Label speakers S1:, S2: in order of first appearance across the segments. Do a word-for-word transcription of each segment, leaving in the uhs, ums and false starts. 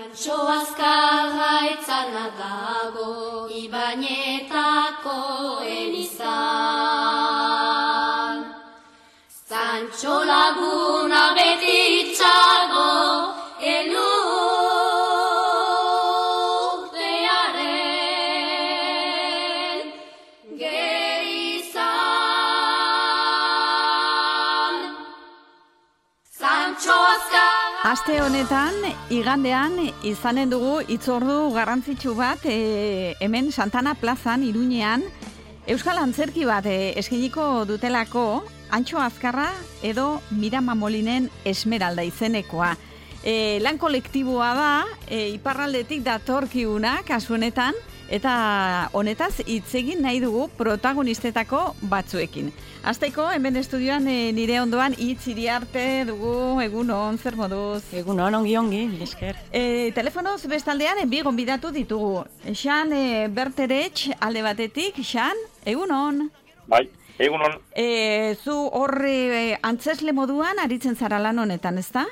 S1: Santxo azkarra etzana dago, Ibañetako elizan. Santxo laguna beti txago, elurtearen gerizan. Santxo azkarra.
S2: Aste honetan, igandean, izanen dugu hitzordu garrantzitsu bat e, hemen Santana plazan, Iruñean, Euskal Antzerki bat e, eskainiko dutelako, Antxo Azkarra edo Mirama Molinen Esmeralda izenekoa. E, lan kolektiboa da, e, iparraldetik datorkiguna, kasu honetan, eta honetaz hitz egin nahi dugu protagonistetako batzuekin. Hasteko, hemen estudioan e, nire ondoan hitz Iriarte dugu, egunon, zer moduz?
S3: Egunon, ongi ongi, esker.
S2: E, telefonoz bestaldean e, bi gonbidatu ditugu. Xan e, Berterech alde batetik, Xan, egunon.
S4: Bai, egunon.
S2: E, zu horre antzesle moduan aritzen zara lan honetan, ezta?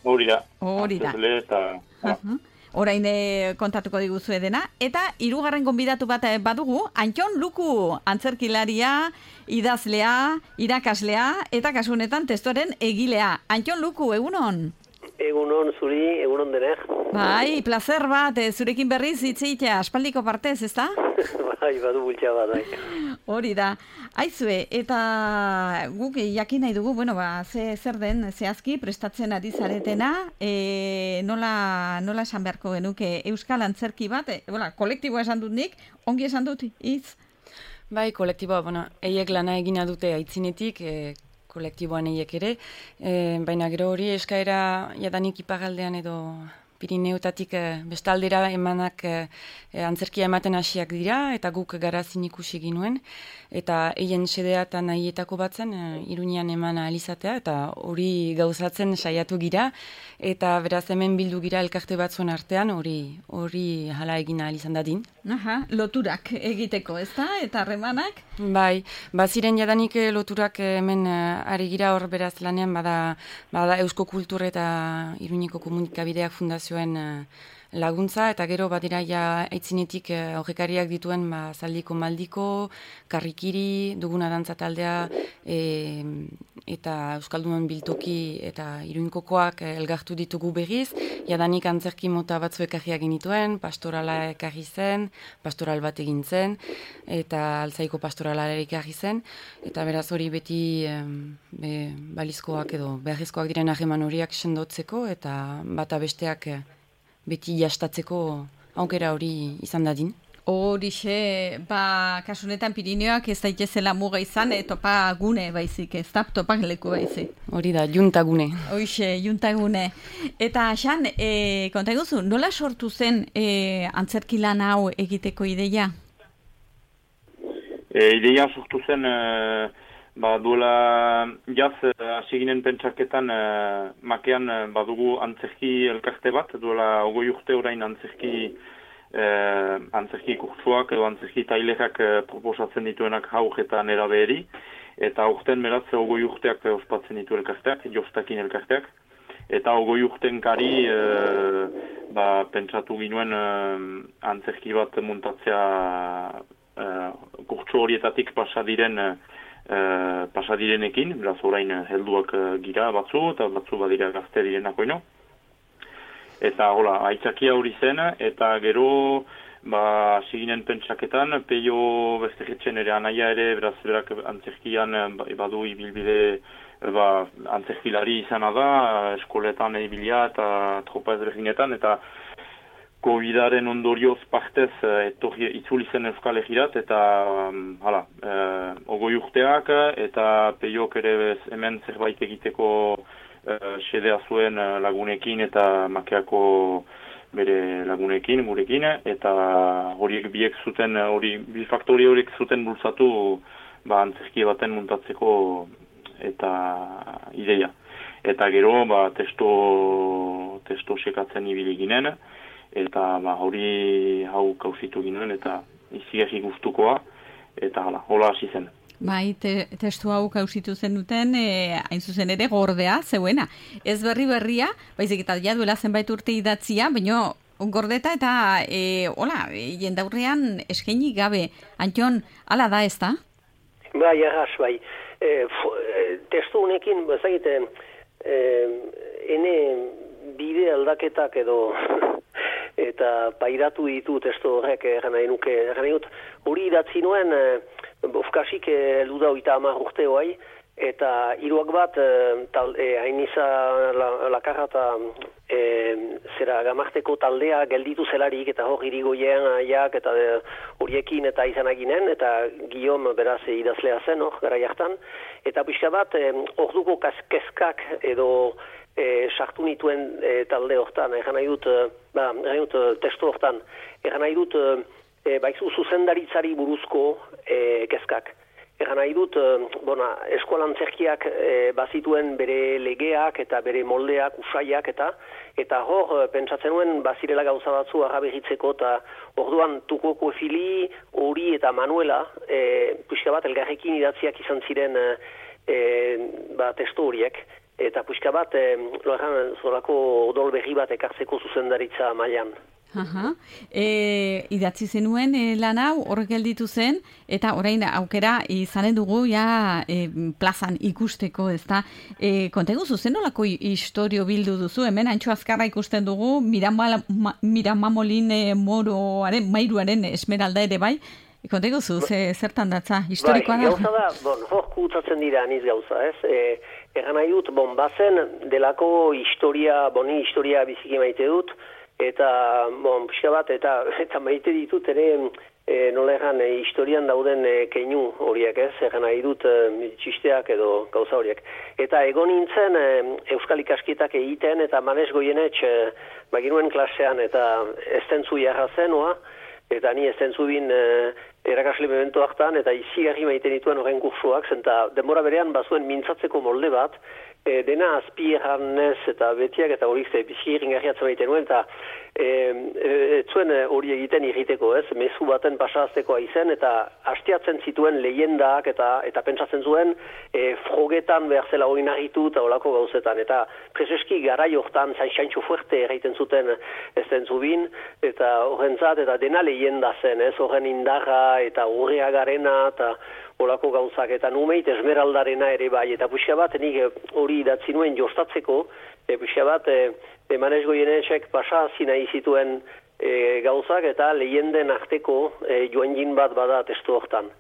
S4: Hori da.
S2: Hori da.
S4: Antzesle eta...
S2: Uh-huh. Orain e, kontatuko diguzu edena. Eta hirugarren gonbidatu bat e, badugu, Antxon Luku, antzerkilaria, idazlea, irakaslea, eta kasu honetan testuaren egilea. Antxon Luku, egunon?
S5: Egunon zuri, egunon denek.
S2: Bai, placer bat, e, zurekin berriz hitzitea, aspaldiko partez, ezta?
S5: Bai, badu bultza bat, bai.
S2: Hori da. Aizue, eta guk jakin nahi dugu, bueno, ba, ze, zer den, zehazki, prestatzen ari zaretena, e, nola, nola esan beharko genuke Euskal Antzerki bat, e, bola, kolektiboa esan dut nik, ongi esan dut, iz?
S3: Bai, kolektiboa, bueno, eiek lana egina dute aitzinetik, e, kolektiboan eiek ere, e, baina gero hori eskaera jadanik iparraldean edo Pirineutatik e, bestaldera emanak e, antzerkia ematen hasiak dira, eta guk garazin ikusi ginuen, eta eien sedea eta nahietako batzen e, Iruñean eman alizatea, eta hori gauzatzen saiatu gira, eta beraz hemen bildu gira elkarte batzuen artean, hori hori hala egin alizan dadin.
S2: Aha, loturak egiteko, ezta? Eta harremanak?
S3: Bai, baziren jadanik loturak hemen ari gira hor beraz lanean, bada, bada Eusko Kultur eta Iruñeko Komunikabideak Fundazioen laguntza, eta gero badira ja aitzinetik aurrekariak dituen ba, Zaldiko Maldiko, Karrikiri, duguna dantza taldea, e, eta Euskaldunon biltoki eta Iruñkokoak elgartu ditugu berriz, jadanik antzerki mota batzu ekarriak genituen, pastorala ekarri zen, pastoral bat egin zen, eta altzaiko pastorala ekarri zen, eta beraz hori beti be, balizkoak edo beharrezkoak diren harreman horiak sendotzeko, eta bata besteak beti jastatzeko aukera hori izan dadin.
S2: Horixe, ba, kasunetan Pirineoak ez daitezela muga izan, e, topa gune baizik, ez da, topak leku baizik.
S3: Hori da, juntagune.
S2: Horixe, juntagune. Eta, Xan, e, konta eguzu, nola sortu zen e, antzerki lan hau egiteko ideia?
S4: E, ideia sortu zen, e, ba, duela jaz, hasi ginen pentsaketan, e, makean e, badugu antzerki elkarte bat, duela ogoi urte orain antzerki Eh, antzerki kurtsuak edo antzerki tailerak eh, proposatzen dituenak haur eta nerabeheri, eta urten beraz ogoi urteak ospatzen ditu elkarteak, jostakin elkarteak, eta ogoi urten kari eh, ba, pentsatu ginuen eh, antzerki bat muntatzea eh, kurtsu horietatik pasadiren eh, pasadirenekin, beraz orain helduak eh, gira batzu, eta batzu badira gazte direnako ino. Eta hola, aitzakia hori zen, eta gero, ba, siginen pentsaketan, peio bestegetzen ere anaia ere, beraz, berak antzerkian badu ibilbide, ba, antzerkilari izana da, eskoletan ibilia eta tropa ezberdinetan, eta Covidaren ondorioz partez etorri itzuli zen Euskal Herrirat, eta, hala, e, ogoi urteak, eta peiok ere hemen zerbait egiteko Uh, sedea zuen uh, lagunekin eta makeako bere lagunekin, gurekin, eta horiek biek zuten, hori, bi faktori horiek zuten bultzatu ba, antzerki baten muntatzeko eta ideia. Eta gero, ba, testo, testo sekatzen ibili ginen, eta ba, hori hau kauzitu ginen, eta izigarri gustukoa, eta hala, hola hasi zen.
S2: Bai, te, testu hau kausitu zen duten, e, hain zuzen ere gordea, zeuena. Ez berri berria, baizik eta ja duela zenbait urte idatzia, baina gordeta eta, e, hola, e, jendaurrean eskaini gabe. Antion, ala da ez da?
S5: Bai, arras, bai. E, testu honekin, bezagite, e, ene bide aldaketak edo eta pairatu ditu testu horrek egan nahi nuke. Egan nahi dut, hori idatzi nuen, bofkasik heldu da oita hamar urte hoai, eta hiruak bat, tal, e, hainiza la, lakarra eta e, zera gamarteko taldea gelditu zelarik, eta hor irigoien aiak, eta de, horiekin eta izanaginen, eta Guillaume beraz idazlea zen, hor, gara jartan, eta pixka bat, orduko kezkak edo E, sartu nituen e, talde hortan, egan nahi dut, ba, egan dut testu hortan, egan nahi dut, e, baizu zuzendaritzari buruzko e, kezkak. Egan nahi dut, e, bona, eskolantzerkiak e, bazituen bere legeak eta bere moldeak, usaiak eta, eta hor, pentsatzen nuen, bazirela gauza batzu arrabegitzeko, eta orduan Tukoko Fili, Hori eta Manuela, e, pixka bat, elgarrekin idatziak izan ziren e, ba, testu horiek. Eta puxka bat, e, loeran, zorako odol berri bat ekartzeko zuzendaritza mailan.
S2: Aha. E, idatzi zenuen e, lan hau horrek gelditu zen, eta orain aukera izanen dugu ja e, plazan ikusteko, ezta? E, kontegu zuzen nolako historio bildu duzu, hemen Antxo Azkarra ikusten dugu, Miramamolin e, moroaren, mairuaren esmeralda ere bai, kontegu zu, ze, zertan datza, historikoa
S5: bai,
S2: da?
S5: Gauza da, bon, hor kutsatzen dira aniz gauza, ez? E, egan nahi dut, bon, bazen delako historia, boni historia biziki maite dut, eta, bon, pixka bat, eta, eta maite ditut ere, e, nola egan, e, historian dauden e, keinu horiek, ez? Egan nahi dut, e, txisteak edo gauza horiek. Eta egon nintzen, e, Euskal Ikaskietak egiten, eta Manes Goienetx, e, baginuen klasean, eta ez zentzu jarra zenua, eta ni ez zentzu bin, e, erakasle memento hartan, eta izigarri maite dituen horren kursuak, zenta denbora berean bazuen mintzatzeko molde bat, e, dena azpi erranez eta betiak eta horiek ze bizi ringarriatzen maite nuen, eta e, e, zuen hori egiten irriteko, ez, mezu baten pasaztekoa izen, eta hastiatzen zituen lehendak, eta eta pentsatzen zuen, e, frogetan behar zela hori narritu eta olako gauzetan, eta preseski garai hortan zain fuerte erraiten zuten ez den zubin, eta horrentzat, eta dena lehenda zen, ez, horren indarra, eta urrea garena, eta olako gauzak, eta numeit esmeraldarena ere bai, eta puxia bat, nik hori idatzi nuen jostatzeko, e, puxia bat, e, e, Manes Goienetxek pasa zina izituen e, gauzak, eta lehenden arteko e, joan bat bada testu hortan.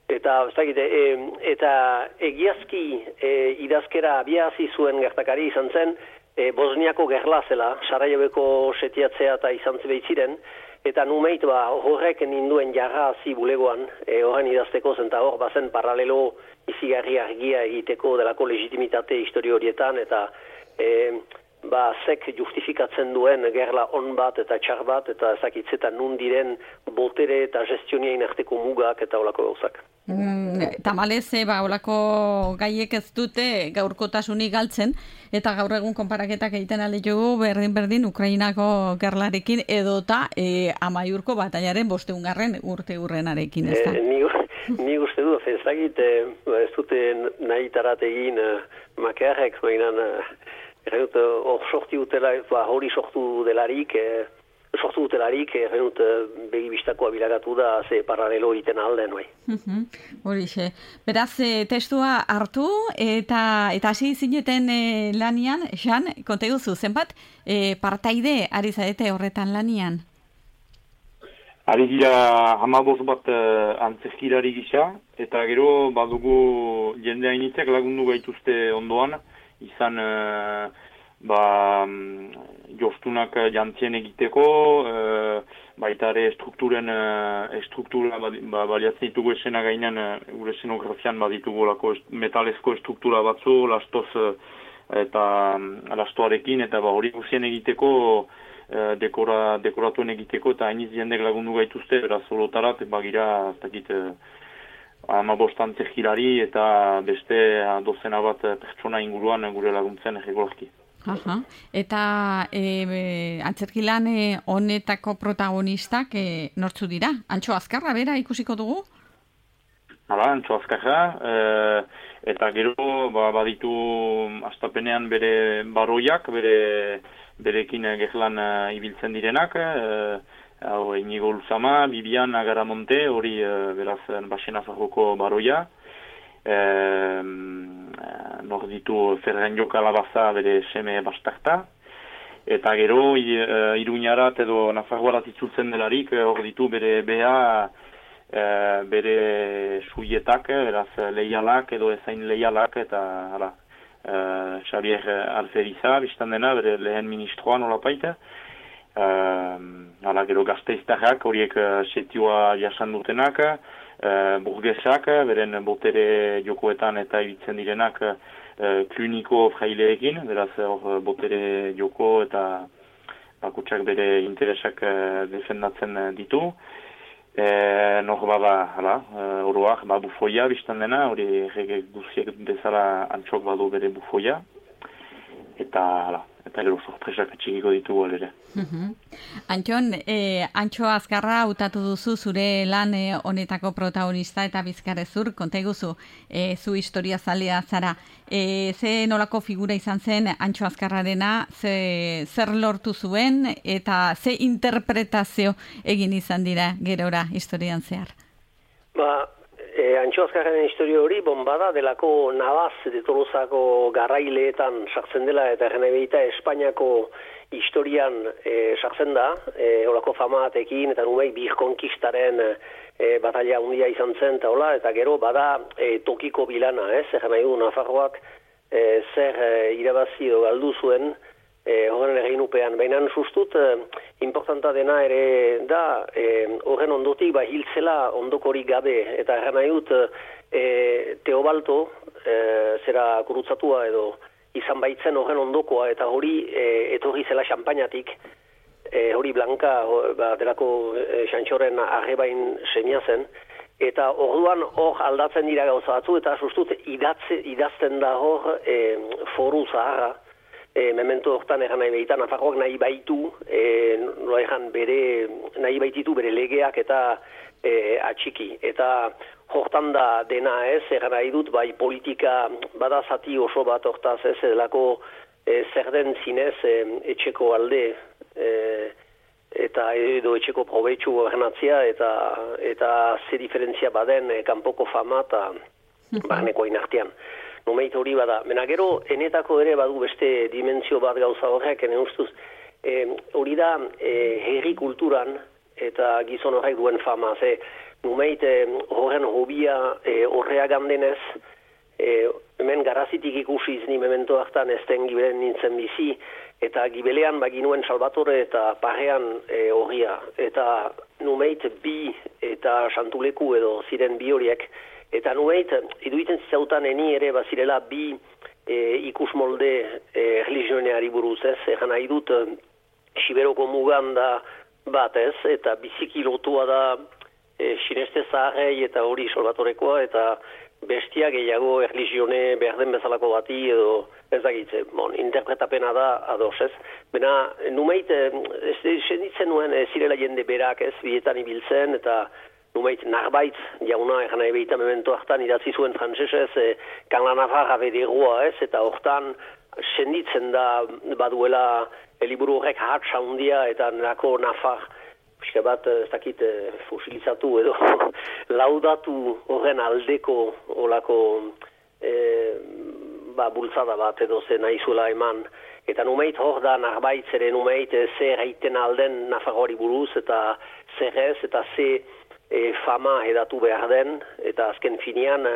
S5: Eta, e, eta egiazki e, idazkera abiazi zuen gertakari izan zen, e, Bosniako gerla zela, Sarajeveko setiatzea eta izan ziren, eta numeit ba, horrek ninduen jarra hazi bulegoan, e, horren idazteko zen, eta hor bazen paralelo izigarri argia egiteko delako legitimitate historio horietan, eta e, ba, zek justifikatzen duen gerla on bat eta txar bat, eta ezakitzetan nun diren botere eta gestioniain arteko mugak eta olako gauzak.
S2: Mm, tamalez, ba, olako gaiek ez dute gaurkotasunik galtzen, eta gaur egun konparaketak egiten alde jogu berdin-berdin Ukrainako gerlarekin edota e, Amaiurko batailaren bosteungarren urte urrenarekin, ez da?
S5: E, ni, ni uste du, ez dakit, e, ez dute nahi tarat egin e, makearrek, mainan, e, hor sorti utela, ba, hori sortu delarik, e, sortu dutelarik, errenut begibistakoa bilagatu da, ze paralelo egiten alden, bai.
S2: Horixe. Beraz, e, testua hartu, eta eta hasi zineten e, lanian, Xan, konte guzu, zenbat e, partaide ari zarete horretan lanian?
S4: Ari dira hamabost bat uh, antzerkilari gisa, eta gero badugu jende hainitzek lagundu gaituzte ondoan, izan uh, ba, jostunak jantzien egiteko, uh, baita ere strukturen, uh, struktura ba, baliatzen ditugu esena gainean, uh, gure esenografian baditugu lako metalezko struktura batzu, lastoz uh, eta um, lastoarekin, eta ba, hori guzien egiteko, uh, dekora, dekoratuen egiteko, eta hainiz jendek lagundu gaituzte, beraz solotarat, bagira, ez dakit, uh, hamabost antzerkilari eta beste dozena bat pertsona inguruan gure laguntzen erregolarki.
S2: Aha. Eta e, antzerkilan e, honetako protagonistak e, nortzu dira? Antxo Azkarra bera ikusiko dugu?
S4: hala, antxo azkarra, e, eta gero ba, baditu astapenean bere baroiak, bere berekin gerlan uh, ibiltzen direnak, e, hau Inigo Luzama, Bibian Agaramonte, hori e, beraz Baxena Zarroko baroia, e, nor ditu Ferran Joka Labaza bere seme bastarta, eta gero Iruñarat edo Nafarroarat itzultzen delarik, hor ditu bere beha, e, bere suietak, beraz leialak edo ezain leialak, eta hala, e, Xavier Alferiza, biztan dena, bere lehen ministroa nolapaita, e, hala, gero gazteiztarrak, horiek setioa jasan dutenak, e, burgesak, beren botere jokoetan eta ibitzen direnak, kliniko fraileekin, beraz hor botere joko eta bakutsak bere interesak defendatzen ditu. E, Nor bada, hala, oroak, ba, bufoia biztan dena, hori errege guziek bezala antxok badu bere bufoia. Eta, hala, eta gero sorpresak txikiko ditugu ere.
S2: Uh-huh. Antxon, eh, Antxo Azkarra hautatu duzu zure lan eh, honetako protagonista eta bizkarrezur, konta iguzu, eh, zu historia zalea zara. Eh, ze nolako figura izan zen Antxo Azkarrarena, ze, zer lortu zuen eta ze interpretazio egin izan dira gerora historian zehar?
S5: Ba, e, Antxo Azkarraren historia hori bombada delako Navaz de Tolosako garraileetan sartzen dela eta genebeita Espainiako historian e, sartzen da, e, olako famatekin eta numei birkonkistaren e, batalla handia izan zen eta hola, eta gero bada e, tokiko bilana, ez, egen nahi du Nafarroak e, zer e, irabazi edo galdu zuen e, horren eginupean. Baina sustut, e, importanta dena ere da, e, horren ondotik ba, hiltzela ondokorik gabe, eta egen nahi dut e, Teobalto, e, zera gurutzatua edo izan baitzen horren ondokoa, eta hori e, etorri zela xampainatik, e, hori Blanka ho, ba, delako e, Xantxoren arrebain semia zen, eta orduan hor aldatzen dira gauza batzu, eta sustut idatze, idazten da hor e, foru zaharra, e, memento hortan egan nahi behitan, Nafarroak nahi baitu, e, nola egan bere, nahi baititu bere legeak eta e, atxiki, eta hortan da dena ez, egan nahi dut, bai politika bada zati oso bat hortaz ez, delako e, zer den zinez e, etxeko alde e, eta edo etxeko probetxu genatzia eta eta ze diferentzia baden e, kanpoko fama eta barneko inartean. Numeit hori bada. Mena gero, enetako ere badu beste dimentsio bat gauza horrek, ene ustuz, e, hori da e, herri kulturan eta gizon horrek duen fama, ze numeit eh, horren hobia eh, horrea gandenez, eh, hemen garazitik ikusiz ni memento hartan ezten gibelen nintzen bizi, eta gibelean baginuen Salvatore eta parean eh, horria. Eta numeit bi eta Santuleku edo ziren bi horiek, eta numeit iduiten zizautan eni ere bazirela bi eh, ikus molde eh, religioneari buruz ez, egan nahi dut eh, Siberoko mugan da bat ez, eta biziki lotua da E, sineste zaharrei eta hori Salvatorekoa eta bestia gehiago erligione behar den bezalako bati edo ez dakitze, bon, interpretapena da ados ez. Bena, numeit, ez senditzen nuen ez zirela jende berak ez, bietan ibiltzen eta numeit narbait jauna egan nahi behita memento hartan idatzi zuen frantzesez e, Kanla Navarra bederua ez, eta hortan senditzen da baduela eliburu horrek hatsa handia eta nako Nafar pixka bat, ez dakit, fosilizatu edo laudatu horren aldeko olako e, ba, bultzada bat edo ze nahi zuela eman. Eta numeit hor da narbait zere numeit zer haiten alden Nafarroari buruz eta zer ez eta ze e, fama edatu behar den eta azken finean e,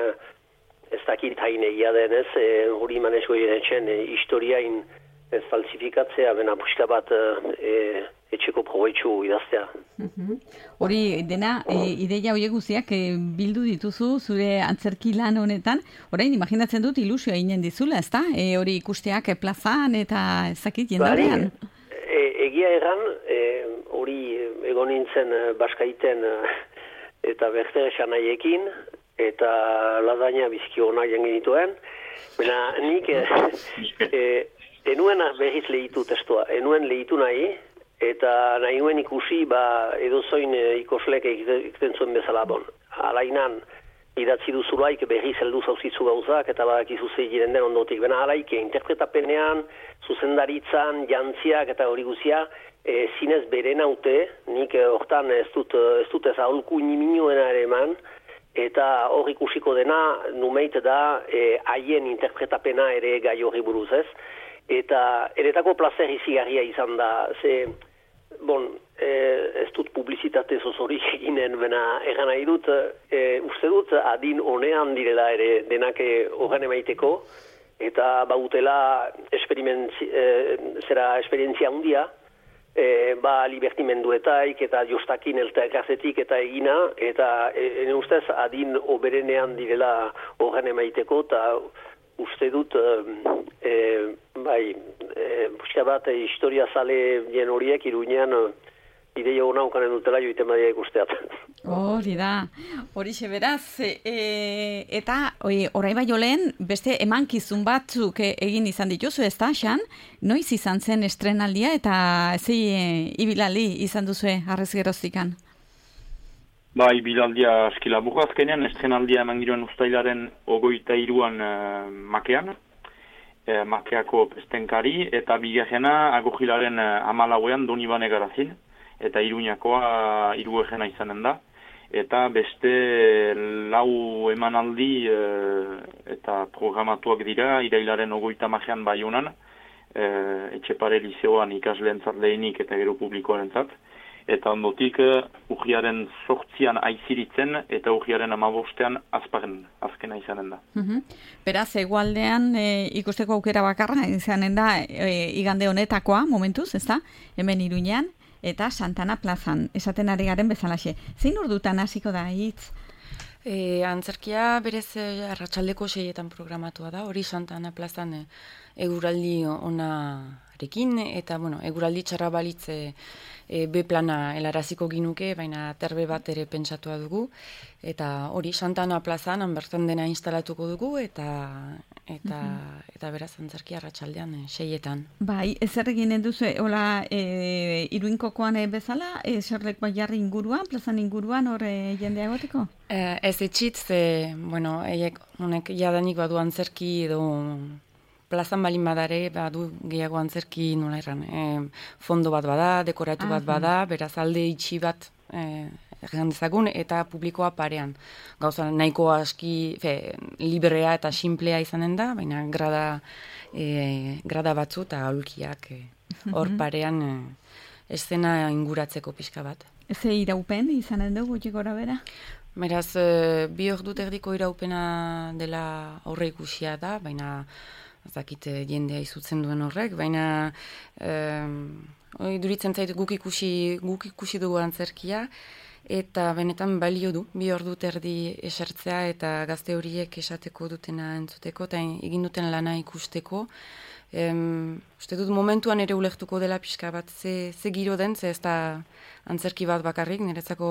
S5: ez dakit hain egia den ez, e, hori manesko etxen e, historiain ez falsifikatzea, bena pixka bat e, etxeko probetxu idaztea.
S2: Hori uh-huh. dena, e, ideia horiek guziak e, bildu dituzu zure antzerki lan honetan, orain imaginatzen dut ilusioa inen dizula, ezta? E, hori ikusteak e, plazan eta ezakit jendaurrean.
S5: E, egia egan, e, hori egon nintzen Baskaiten eta Bertere Xanaiekin, eta lasaina bizki hona genituen, bena nik e, e, enuen berriz lehitu testua, enuen lehitu nahi, eta nahi nuen ikusi ba, edozoin e, ikoslek egiten zuen bezala bon. Alainan, idatzi duzulaik berri zeldu zauzitzu gauzak, eta badakizu zeiren den ondotik. Bena alaik, interpretapenean, zuzendaritzan, jantziak eta hori guzia, e, zinez bere naute, nik hortan ez dut ez dut ez aholku niminuena ere eman, eta hor ikusiko dena, numeit da, haien e, interpretapena ere gai hori buruz ez. Eta eretako plazer izigarria izan da, ze, bon, eh, ez dut publizitate zozorik eginen, bena egan nahi dut, eh, uste dut adin honean direla ere denak horren emaiteko, eta bautela eh, zera esperientzia handia, eh, ba libertimenduetaik eta jostakin elkartetik eta egina, eta ene ustez adin oberenean direla horren emaiteko, eta uste dut, e, bai, e, buska bat, e, historia zale jen horiek iruñean ideia hona ukanen dutela joiten badia ikusteat.
S2: Hori da, hori beraz, e, eta orai bai olen, beste emankizun batzuk egin izan dituzu, ez da, Xan? Noiz izan zen estrenaldia eta zei e, ibilaldi izan duzue arrez geroztikan?
S4: Ba, ibilaldia aski laburra azkenean, estrenaldia eman giroen ustailaren ogoita iruan e, makean, e, makeako pestenkari, eta bigarrena agojilaren e, amalauean Donibane Garazin, eta iruñakoa hiru egena izanen da. Eta beste lau emanaldi e, eta programatuak dira, irailaren ogoita makean Baionan, e, Etxepare Lizeoan ikasleentzat lehenik eta gero publikoarentzat. Eta ondotik uh, urriaren sortzian aiziritzen eta urriaren amabostean azparen azkena izanen da.
S2: Uh-huh. Beraz, egualdean e, ikusteko aukera bakarra izanen da e, igande honetakoa, momentuz, ez da? Hemen Iruñean eta Santana plazan, esaten ari garen bezalaxe. Zein ordutan hasiko da, hitz?
S3: E, antzerkia berez arratsaldeko seietan programatua da, hori Santana plazan e, eguraldi onarekin, eta bueno, eguraldi txarra balitze E, B plana helaraziko ginuke, baina terbe bat ere pentsatua dugu, eta hori Santana plazan bertan dena instalatuko dugu, eta eta, uh-huh. eta beraz antzerkia arratsaldean e, seietan.
S2: Bai, ezer egin duzu, hola, e, Iruinkokoan e, bezala, e, zerlek bai jarri inguruan, plazan inguruan, hor e, jendea egoteko?
S3: E, ez etxit, ze, bueno, eiek, honek jadanik badu antzerki edo plazan balin badare, badu gehiago antzerki nola erran, e, fondo bat bada, dekoratu bat bada, beraz alde itxi bat e, erran dezagun, eta publikoa parean. Gauza nahiko aski, fe, librea eta simplea izanen da, baina grada, e, grada batzu eta aulkiak e, hor parean e, eszena inguratzeko pixka bat.
S2: Ze iraupen izanen dugu gutxi gora bera?
S3: Beraz, e, bi ordu erdiko iraupena dela aurre ikusia da, baina ez dakit jendea izutzen duen horrek, baina eh, duritzen zait guk ikusi, guk ikusi dugu antzerkia, eta benetan balio du, bi ordu terdi esertzea eta gazte horiek esateko dutena entzuteko, eta egin duten lana ikusteko. Em, uste dut momentuan ere ulertuko dela pixka bat ze, ze giro den, ze ez da antzerki bat bakarrik, niretzako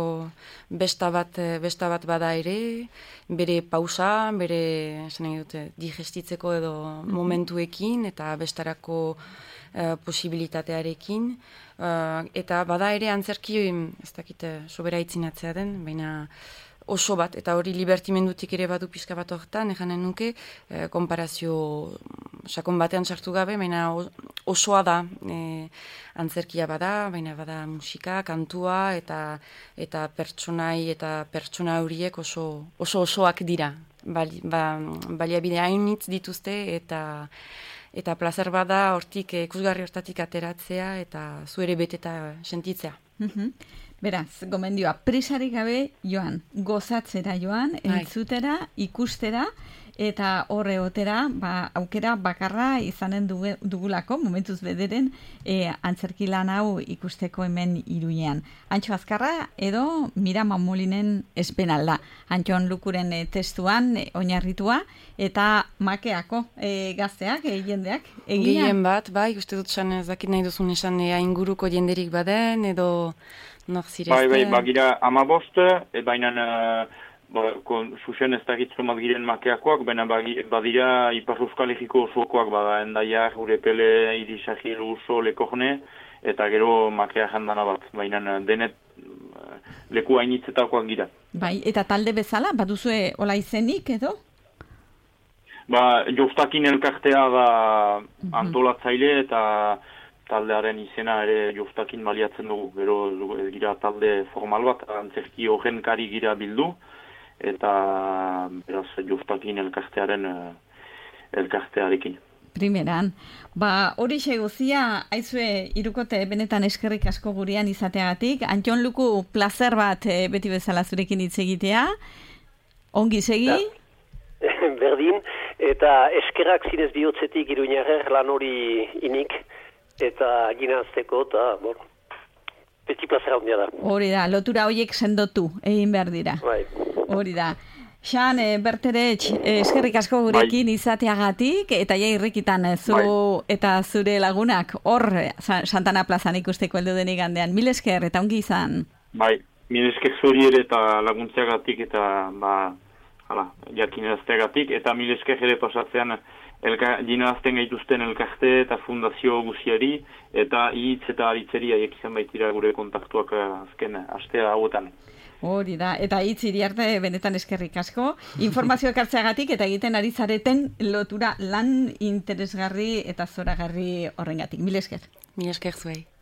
S3: besta bat, besta bat bada ere, bere pausa, bere esan nahi dute, digestitzeko edo momentuekin eta bestarako uh, posibilitatearekin. Uh, eta bada ere antzerki, ez dakit sobera itzinatzea den, baina oso bat, eta hori libertimendutik ere badu pixka bat horretan, eganen nuke, eh, konparazio sakon batean sartu gabe, baina osoa da, eh, antzerkia bada, baina bada musika, kantua, eta eta pertsonai eta pertsona horiek oso, oso osoak dira. Bali, ba, baliabide hainitz dituzte, eta eta plazer bada hortik, ikusgarri hortatik ateratzea, eta zu ere beteta sentitzea.
S2: Mhm. Beraz, gomendioa, presarik gabe joan, gozatzera joan, entzutera, ikustera, eta horre otera, ba, aukera bakarra izanen dugu, dugulako, momentuz bederen, e, antzerki lan hau ikusteko hemen Iruñean. Antxo Azkarra edo Mirama Molinen espenalda. Antxon Lukuren e, testuan e, oinarritua, eta makeako e, gazteak, e, jendeak, egina.
S3: Gehien bat, bai, uste dut san ez dakit nahi duzun esan e, inguruko jenderik baden, edo nor zirezten.
S4: Bai, bai, bagira amabost, e, baina ba, zuzen ez dakitzu mat giren makeakoak, baina badira Ipar Euskal Herriko osokoak, bada Endaiak, Urepele, Irisagil, Uso, Lekorne, eta gero makea jandana bat, baina denet leku hainitzetakoak gira.
S2: Bai, eta talde bezala, baduzue ola izenik edo?
S4: Ba, Jostakin elkartea da antolatzaile eta taldearen izena ere Jostakin baliatzen dugu. Gero gira talde formal bat, antzerki horrenkari gira bildu, eta beraz Jostakin elkartearen elkartearekin.
S2: Primeran, ba hori guzia aizue irukote benetan eskerrik asko gurean izateagatik. Antion Luku plazer bat e, beti bezala zurekin hitz egitea. Ongi segi?
S5: Berdin, eta eskerrak zinez bihotzetik Iruñarer lan hori inik, eta ginazteko, eta, bon, beti plazer handia da.
S2: Hori da, lotura horiek sendotu, egin behar dira.
S5: Bai.
S2: Hori da. Xan, e, Berteretx, e, eskerrik asko gurekin bai. Izateagatik, eta ja irrikitan zu bai. Eta zure lagunak hor Santana plazan ikusteko heldu den igandean. Mil esker, eta ongi izan.
S4: Bai, mil esker zuri ere eta laguntzeagatik, eta ba, hala, jakinerazteagatik, eta mil esker ere pasatzean dinazten gaituzten elkarte eta fundazio guziari, eta hitz eta aritzeri haiek izan baitira gure kontaktuak azken astea hauetan.
S2: Hori da, eta hitz iriarte benetan eskerrik asko. Informazio ekartzeagatik eta egiten ari zareten lotura lan interesgarri eta zoragarri horrengatik. Mil esker.
S3: Mil esker zuei.